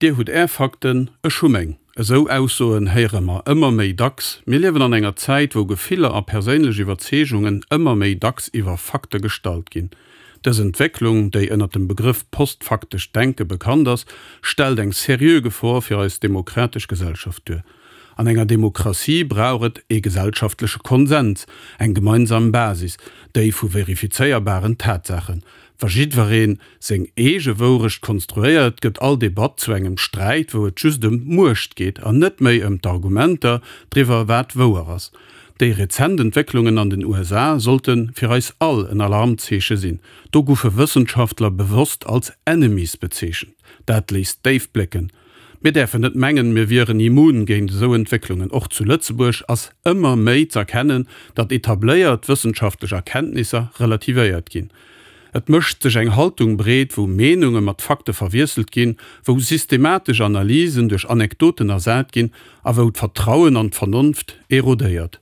Dir hutt Är Fakten, ech hu meng. Esou Aussoen héiere mer ëmmer méi dacks. Mir liewen an enger Zäit, wou Gefiller a perséinlech Iwwerzeegungen ëmmer méi dacks iwwer Fakte gestallt ginn. Dës Entwécklung, déi ënnert dem Begrëff postfaktescht Denke bekannt ass, stellt eng seriö Gefor fir eis demokratesch Gesellschaft duer. An enger Demokratie brauch et ee gesellschaftleche Konsens, eng gemeinsam Basis, déi vu verifizéierbaren Tatsaachen. Wa jiddweree seng eege Wourecht konstruéiert, gëtt all Debatt zu engem Sträit, wou et just ëm d'Muecht geet an net méi ëm d'Argumenter driwwer, wat wouer ass. Déi rezent Entwécklungen an den USA sollte fir eis all en Alarmzeeche sinn. Do goufe Wëssenschaftler bewosst als Enemies bezeechent. Dat léisst déif blécken. Mir däerfen net mengen, mir wieren immun géint esou Entwécklungen. Och zu Lëtzebuerg ass ëmmer méi z'erkennen, datt etabléiert wëssenschaftlech Erkenntnisser relativéiert ginn. Et mécht sech eng Haltung breet, wou Meenunge mat Fakte verwiesselt ginn, wou systematesch Analysen duerch Anekdoten ersat ginn a wou d'Vertrauen an d'Vernonft erodéiert.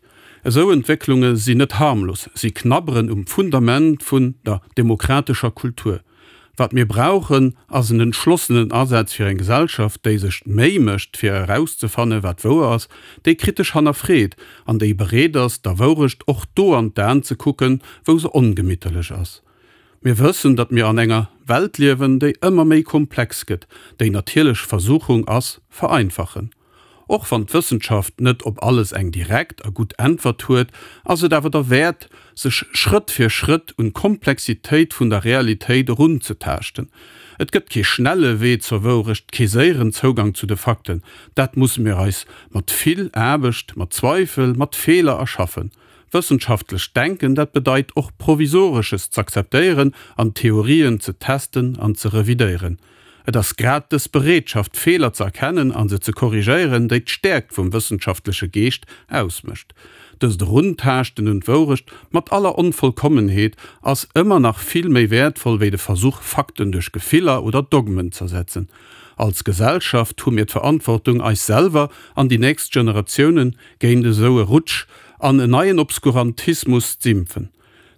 Esou Entwécklunge sinn net harmlos, si knabberen um Fundament vun der demokratescher Kultur. Wat mir brauchen, ass en entschlossenen Asaz fir eng Gesellschaft, déi sech d'Méi mécht, fir erauszefannen, wat wouer ass, déi kritesch hannerfreet an déi bereet ass, der Wourecht och do an d'Aen ze kucken, wou se ongemitterlech ass. Mir wëssen, datt mir an enger Welt liewen, déi ëmmer méi komplex gëtt, déi natierlech Versuchung ass, vereinfachen. Och wann d'Wëssenschaft net op alles eng direkt a gutt Äntwert huet, ass et awer derwäert, sech Schrëtt fir Schrëtt un d'Komplexitéit vun der Realitéit erunzetaaschten. Et gëtt kee schnelle Wee zur Wourecht, kee séieren Zougang zu de Fakten. Dat musse mir eis mat vill Aarbecht, mat Zweifel, mat Feeler erschaffen. Wëssenschaftlecht Denken, dat bedeit och Provisoresches z'akzeptéieren an Theorien ze testen an ze revidéieren. Et ass grad dës Bereetschaft, Feeler ze erkennen a se ze korrigéieren, déi d'Stäerkt vum wëssenschaftleche Geescht ausmécht. Dëst Eruntaaschten un d'Wourecht, mat aller Onvollkommenheet, ass ëmmer nach vill méi wäertvoll wéi de Versuch, Fakten duerch Gefiller oder Dogmen z'ersetzen. Als Gesellschaft hu mir d'Verantwortung, eis selwer an déi nächst Generatiounen géint esou e Rutsch an en neien Obskurantismus z'impfen.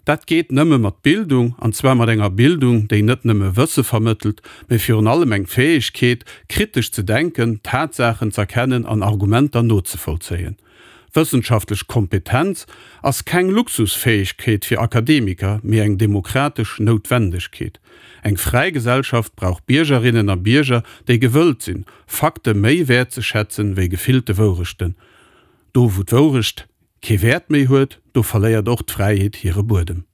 Dat geet nëmme mat Bildung, an zwar mat enger Bildung, déi net nëmme Wësse vermëttelt, mee virun allem eng Fäegkeet, kritesch ze denken, Tatsaachen z'erkennen an Argumenter nozevollzéien. Wëssenschaftlech Kompetenz ass keng Luxusfäegkeet fir Akademiker, mee eng demokratesch Noutwendegkeet. Eng fräi Gesellschaft brauch Biergerinnen a Bierger, déi gewëllt sinn, Fakte méi wäertzeschätzen, wéi gefillte Wourechten. Do wou d'Wourecht kee Wäert méi huet, do verléiert och d'Fräiheet hire Buedem.